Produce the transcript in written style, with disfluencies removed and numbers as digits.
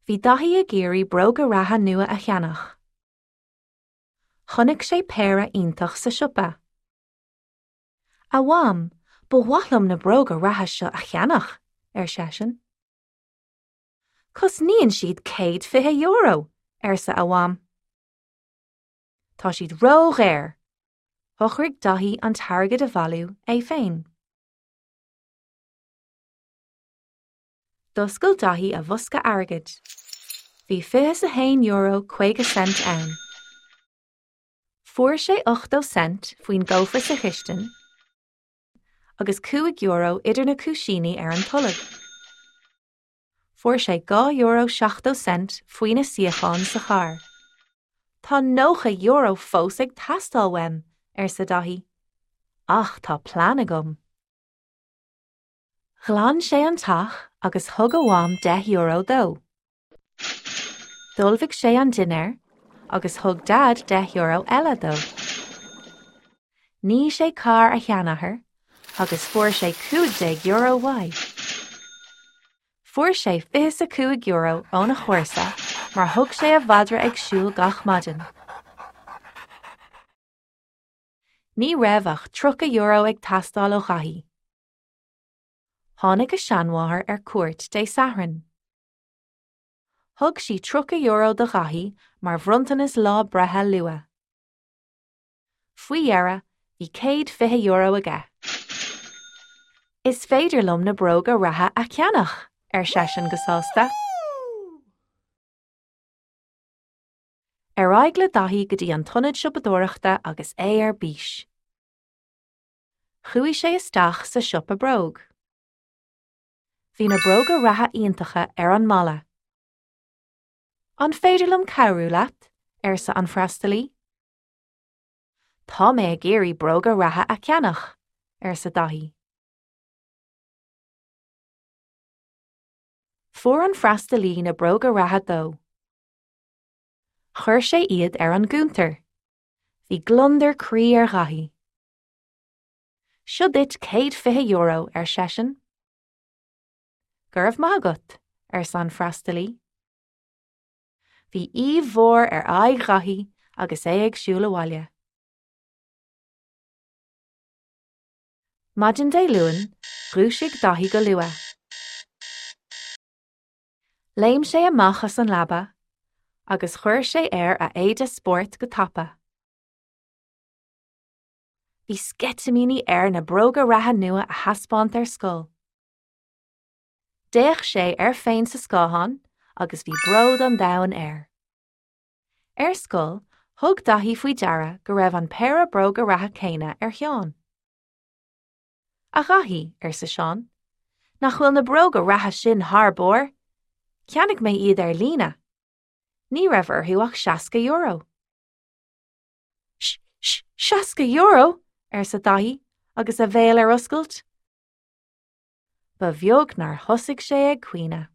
Bhí Daithí ag iarraidh bróga reatha nua a cheannach. Chonaic sé péire iontach sa siopa. A Mham, ba mhaith liom na bróga reatha seo a cheannach, ar seisean. Cosnaíonn siad €120, arsa a mham. Tá siad ródhaor! Shocraigh Daithí an t-airgead a bhailiú é féin. D'oscail Daithí a bhosca airgid. Bhí €21.50 ann. Fuair sé 80 cent faoin gcófra sa chistin agus €5 idir na cúisíní ar an tolg. Fuair sé €2.70 faoi na suíocháin sa charr. Tá €90 fós ag teastáil uaim, arsa Daithí. Ach tá plean agam. Ghlan sé an teach agus thug a mham €10 dó. D'ullmhaigh sé an dinnéar agus thug Daid €10 eile dó. Nigh sé carr a sheanathar agus fuair sé €15 uaidh. Fuair sé €25 óna chomharsa mar thug sé a mhadra ag siúl gach maidin. Ní raibh ach €30 ag teastáil ó Dhaithí. Tháinig a seanmháthair ar cuairt Dé Sathairn. Thug sí €30 do Dhaithí mar bhronntanas lá breithe luath. Faoi dheireadh, bhí €120 aige. Is féidir liom na bróga reatha a cheannach! ar seisean go sásta. Ar aghaidh le Daithí go dtí an t-ionad siopadóireachta agus é ar bís. Chuaigh sé isteach sa siopa bróg. Bhí na bróga reatha iontacha ar an mballa. An féidir liom cabhrú leat? arsa an freastalaí. Tá mé ag iarraidh bróga reatha a cheannach, arsa Daithí. Fuair an freastalaí na bróga reatha dó. Chuir sé iad ar an gcuntar. Bhí gliondar croí ar Dhaithí. Seo duit €120, ar seisean. Go raibh maith agat, arsa an freastalaí. Bhí aoibh mhór ar aghaidh Dhaithí agus é ag siúl abhaile. Maidin Dé Luain, dhúisigh Daithí go luath. Léim sé amach as an leaba agus chuir sé air a éide spóirt go tapa. Bhí sceitimíní air na bróga reatha nua a thaispeáint ar scoil. D'fhéach sé air féin sa scáthán agus bhí bród an domhain air. Ar scoil, thug Daithí faoi deara go raibh an péire bróga reatha céanna ar Sheán. A Dhaithí, arsa Seán, nach bhfuil na bróga reatha sin thar barr? Cheannaigh mé iad ar líne. Ní raibh orthu ach €60. S-s-€60! arsa Daithí agus a bhéal ar oscailt. Ba bheag nár thosaigh sé ag caoineadh.